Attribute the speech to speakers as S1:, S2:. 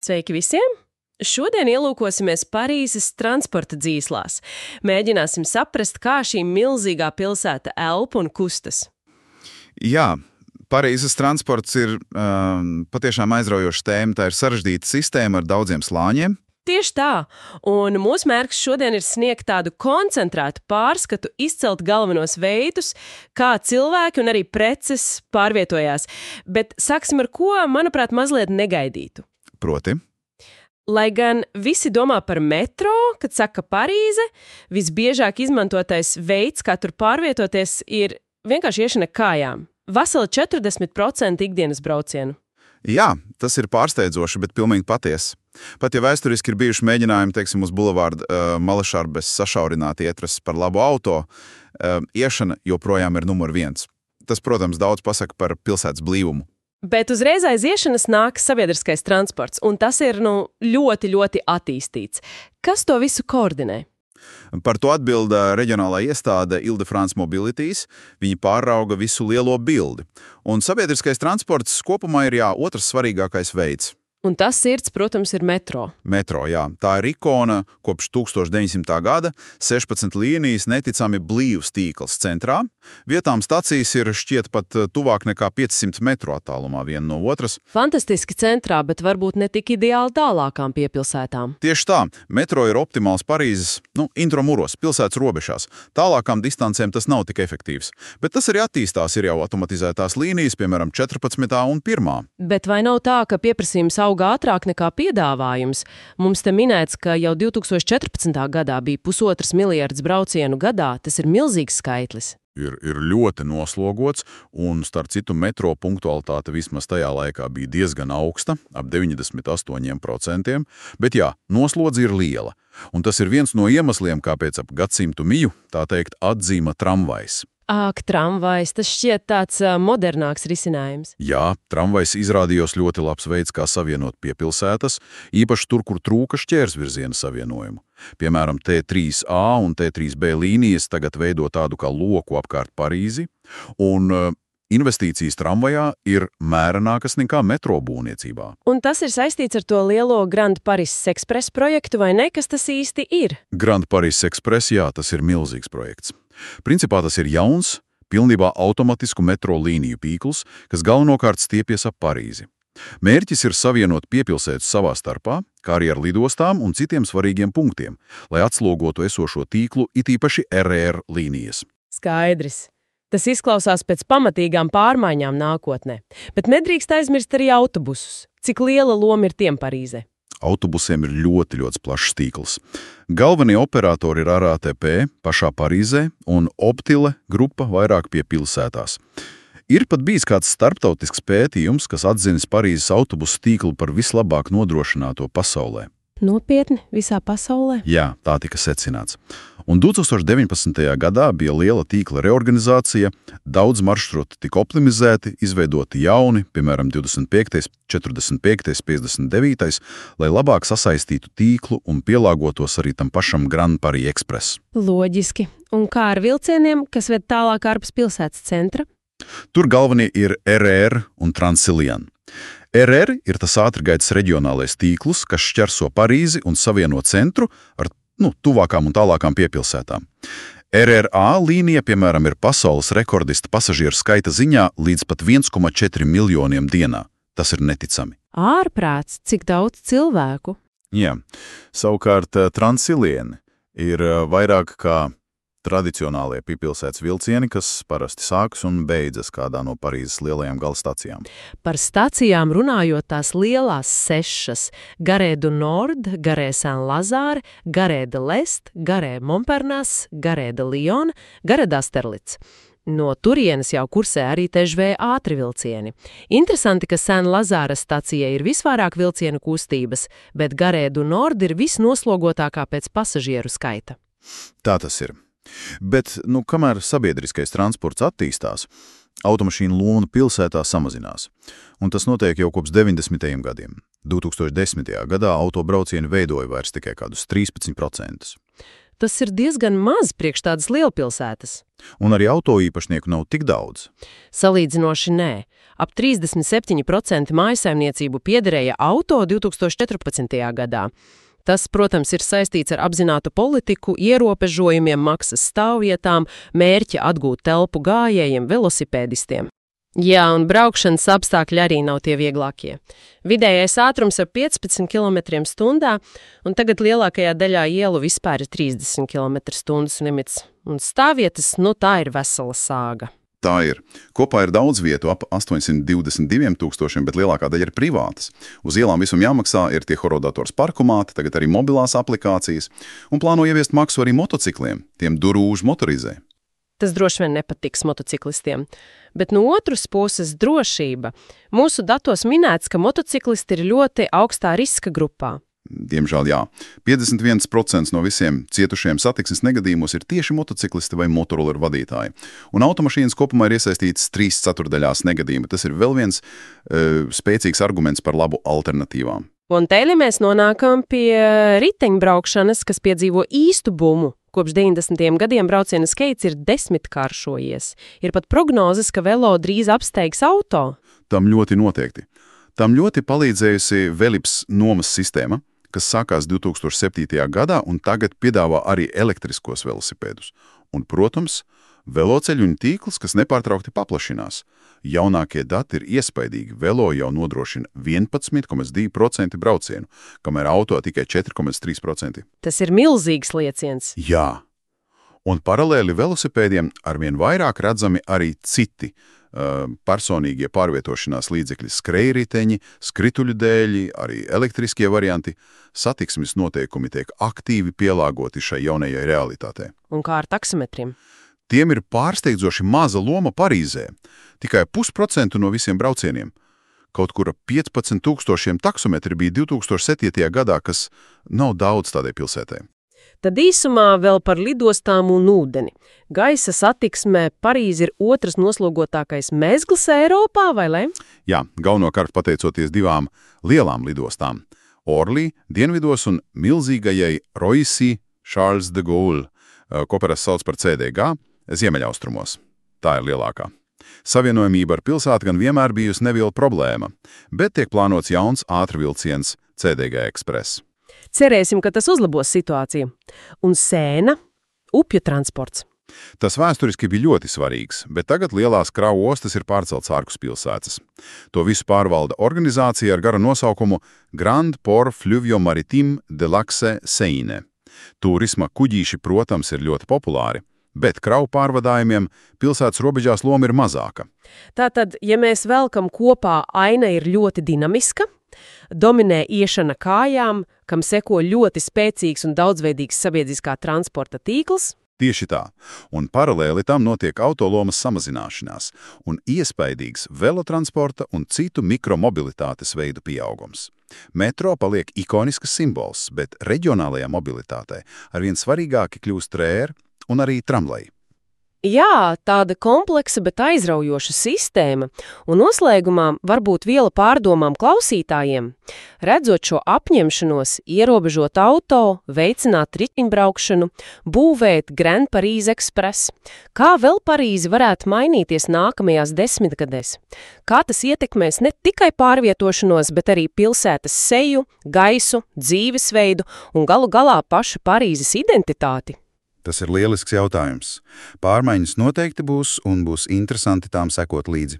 S1: Sveiki visiem! Šodien ielūkosimies Parīzes transporta dzīslās. Mēģināsim saprast, kā šī milzīgā pilsēta elpo un kustas.
S2: Jā, Parīzes transports ir patiešām aizraujoša tēma. Tā ir sarežģīta sistēma ar daudziem slāņiem.
S1: Tieši tā, un mūsu mērķis šodien ir sniegt tādu koncentrētu pārskatu, izcelt galvenos veidus, kā cilvēki un arī preces pārvietojās. Bet sāksim ar ko, manuprāt, mazliet negaidītu.
S2: Proti?
S1: Lai gan visi domā par metro, kad saka Parīze, visbiežāk izmantotais veids, kā tur pārvietoties, ir vienkārši iešana kājām. Veseli 40% ikdienas braucienu.
S2: Jā, tas ir pārsteidzoši, bet pilnīgi patiesi. Pat ja vēsturiski ir bijuši mēģinājumi, teiksim, uz bulevārdu Malašarbes sašaurināt ietrases par labu auto, iešana joprojām ir numur 1. Tas, protams, daudz pasaka par pilsētas blīvumu.
S1: Bet uzreiz aiz iešanas nāk sabiedriskais transports, un tas ir ļoti, ļoti attīstīts. Kas to visu koordinē?
S2: Par to atbild reģionālā iestāde Île-de-France Mobilities. Viņi pārauga visu lielo bildi. Un sabiedriskais transports kopumā ir otrs svarīgākais veids.
S1: Un tas sirds, protams, ir metro.
S2: Metro, jā. Tā ir ikona kopš 1900. gada, 16 līnijas, neticami blīvs tīkls centrā. Vietām stacijas ir šķiet pat tuvāk nekā 500 metru attālumā viena no otras.
S1: Fantastiski centrā, bet varbūt ne tik ideāli tālākām piepilsētām.
S2: Tieši tā. Metro ir optimāls Parīzes, intramuros, pilsētas robežās. Tālākām distancēm tas nav tik efektīvs. Bet tas arī attīstās, ir jau automatizētās līnijas, piemēram, 14. un 1.
S1: Bet vai nav tā, ka pieprasījums auga ātrāk nekā piedāvājums? Mums te minēts, ka jau 2014. gadā bija 1,5 miljards braucienu gadā. Tas ir milzīgs skaitlis.
S2: Ir ļoti noslogots, un starp citu metro punktualitāte vismaz tajā laikā bija diezgan augsta, ap 98%, bet noslodze ir liela. Un tas ir viens no iemesliem, kāpēc ap gadsimtu miju, tā teikt, atzīma tramvajs.
S1: Ak, tramvajs, tas šķiet tāds modernāks risinājums.
S2: Jā, tramvajs izrādījos ļoti labs veids, kā savienot piepilsētas, īpaši tur, kur trūka šķērsvirziena savienojumu. Piemēram, T3A un T3B līnijas tagad veido tādu kā loku apkārt Parīzi, un investīcijas tramvajā ir mērenākas nekā metro būvniecībā.
S1: Un tas ir saistīts ar to lielo Grand Paris Express projektu, vai ne? Kas tas īsti ir?
S2: Grand Paris Express, jā, tas ir milzīgs projekts. Principā tas ir jauns, pilnībā automatisku metro līniju tīkls, kas galvenokārt stiepjas ap Parīzi. Mērķis ir savienot piepilsētas savā starpā, kā arī ar lidostām un citiem svarīgiem punktiem, lai atslogotu esošo tīklu, it īpaši RR līnijas.
S1: Skaidrs. Tas izklausās pēc pamatīgām pārmaiņām nākotnē. Bet nedrīkst aizmirst arī autobusus. Cik liela loma ir tiem Parīzē?
S2: Autobusiem ir ļoti plašs tīkls. Galvenie operatori ir RATP pašā Parīzē un Optile grupa vairāk pie pilsētās. Ir pat bijis kāds starptautisks pētījums, kas atzinis Parīzes autobusu tīklu par vislabāk nodrošināto pasaulē.
S1: Nopietni, visā pasaulē?
S2: Jā, tā tika secināts. Un 2019. gadā bija liela tīkla reorganizācija, daudz maršrutu tika optimizēti, izveidoti jauni, piemēram, 25., 45., 59., lai labāk sasaistītu tīklu un pielāgotos arī tam pašam Grand Paris Express.
S1: Loģiski. Un kā ar vilcieniem, kas ved tālāk ārpus pilsētas centra?
S2: Tur galvenie ir RR un Transilien. RR ir tas ātrgaitas reģionālais tīkls, kas šķerso Parīzi un savieno centru ar tuvākām un tālākām piepilsētām. RRA līnija, piemēram, ir pasaules rekordista pasažieru skaita ziņā līdz pat 1,4 miljoniem dienā. Tas ir neticami.
S1: Ārprāts, cik daudz cilvēku?
S2: Jā, savukārt Transilien ir vairāk kā tradicionālie piepilsētas vilcieni, kas parasti sākas un beidzas kādā no Parīzes lielajām galstacijām.
S1: Par stacijām runājot, tās lielās 6 – Gare du Nord, Gare Saint-Lazare, Gare de l'Est, Gare Montparnasse, Gare de Lyon, Gare d'Austerlitz. No turienes jau kursē arī TŽV ātri vilcieni. Interesanti, ka Saint-Lazare stacija ir visvairāk vilcienu kustības, bet Gare du Nord ir visnoslogotākā pēc pasažieru skaita.
S2: Tā tas ir. Bet, kamēr sabiedriskais transports attīstās, automašīnu loma pilsētā samazinās. Un tas notiek jau kopš 90. gadiem. 2010. gadā autobraucieni veidoja vairs tikai kādus 13%.
S1: tas ir diezgan maz priekš tādas lielpilsētas.
S2: Un arī auto īpašnieku nav tik daudz.
S1: Salīdzinoši nē. Ap 37% mājsaimniecību piederēja auto 2014. gadā. Tas, protams, ir saistīts ar apzinātu politiku, ierobežojumiem maksas stāvvietām, mērķi atgūt telpu gājējiem, velosipēdistiem. Jā, un braukšanas apstākļi arī nav tie vieglākie. Vidējais ātrums ir 15 km/h, un tagad lielākajā daļā ielu vispār ir 30 km/h limits. Un stāvvietas, tā ir vesela sāga.
S2: Tā ir. Kopā ir daudz vietu, ap 822 000, bet lielākā daļa ir privātas. Uz ielām visam jāmaksā, ir tie horodators parkumāti, tagad arī mobilās aplikācijas, un plāno ieviest maksu arī motocikliem, tiem durūžu motorizē.
S1: Tas droši vien nepatiks motociklistiem. Bet no otras puses drošība. Mūsu datos minēts, ka motociklisti ir ļoti augstā riska grupā.
S2: Diemžēl jā. 51% no visiem cietušiem satiksmes negadījumos ir tieši motociklisti vai motoroleru vadītāji. Un automašīnas kopumā ir iesaistītas 3/4 negadījumi. Tas ir vēl viens spēcīgs arguments par labu alternatīvām.
S1: Un teļi mēs nonākam pie riteņbraukšanas, kas piedzīvo īstu bumu. Kopš 90. gadiem brauciena skaits ir 10-kāršojies. Ir pat prognozes, ka velo drīz apsteigs auto.
S2: Tam ļoti noteikti. Tam ļoti palīdzējusi Velips nomas sistēma, kas sākās 2007. gadā un tagad piedāvā arī elektriskos velosipēdus. Un, protams, veloceļu un tīkls, kas nepārtraukti paplašinās. Jaunākie dati ir iespaidīgi. Velo jau nodrošina 11,2% braucienu, kamēr auto tikai 4,3%.
S1: Tas ir milzīgs lieciens.
S2: Jā. Un paralēli velosipēdiem arvien vairāk redzami arī citi personīgie pārvietošanās līdzekļi, skrejriteņi, skrituļu dēļi, arī elektriskie varianti. Satiksmes noteikumi tiek aktīvi pielāgoti šai jaunajai realitātei.
S1: Un kā ar taksometriem?
S2: Tiem ir pārsteidzoši maza loma Parīzē. Tikai 0,5% no visiem braucieniem. Kaut kur 15 000 taksometri bija 2007. gadā, kas nav daudz tādai pilsētai.
S1: Tad īsumā vēl par lidostām un ūdeni. Gaisa satiksmē Parīze ir otrs noslogotākais mezgls Eiropā, vai ne?
S2: Jā, galvenokārt pateicoties divām lielām lidostām. Orly dienvidos un milzīgajai Roissy Charles de Gaulle, ko parasti sauc par CDG, ziemeļaustrumos. Tā ir lielākā. Savienojamība ar pilsētu gan vienmēr bijusi neviela problēma, bet tiek plānots jauns ātrvilciens CDG Express.
S1: Cerēsim, ka tas uzlabos situāciju. Un Sēna – upju transports.
S2: Tas vēsturiski bija ļoti svarīgs, bet tagad lielās kravu ostas ir pārcelts ārpus pilsētas. To visu pārvalda organizācija ar garu nosaukumu Grand Port Fluvio Maritime de l'Axe Seine. Turisma kuģīši, protams, ir ļoti populāri, bet kravu pārvadājumiem pilsētas robežās loma ir mazāka.
S1: Tātad, ja mēs velkam kopā, aina ir ļoti dinamiska, dominē iešana kājām, kam seko ļoti spēcīgs un daudzveidīgs sabiedriskā transporta tīkls.
S2: Tieši tā, un paralēli tam notiek autolomas samazināšanās un iespaidīgs velotransporta un citu mikromobilitātes veidu pieaugums. Metro paliek ikonisks simbols, bet reģionālajā mobilitātei arvien svarīgāki kļūst tréri un arī tramvaji.
S1: Jā, tāda kompleksa, bet aizraujoša sistēma, un noslēgumā varbūt viela pārdomām klausītājiem. Redzot šo apņemšanos, ierobežot auto, veicināt riteņbraukšanu, būvēt Grand Paris Express, kā vēl Parīzi varētu mainīties nākamajās 10 gadēs? Kā tas ietekmēs ne tikai pārvietošanos, bet arī pilsētas seju, gaisu, dzīvesveidu un galu galā pašu Parīzes identitāti?
S2: Tas ir lielisks jautājums. Pārmaiņas noteikti būs un būs interesanti tām sekot līdzi.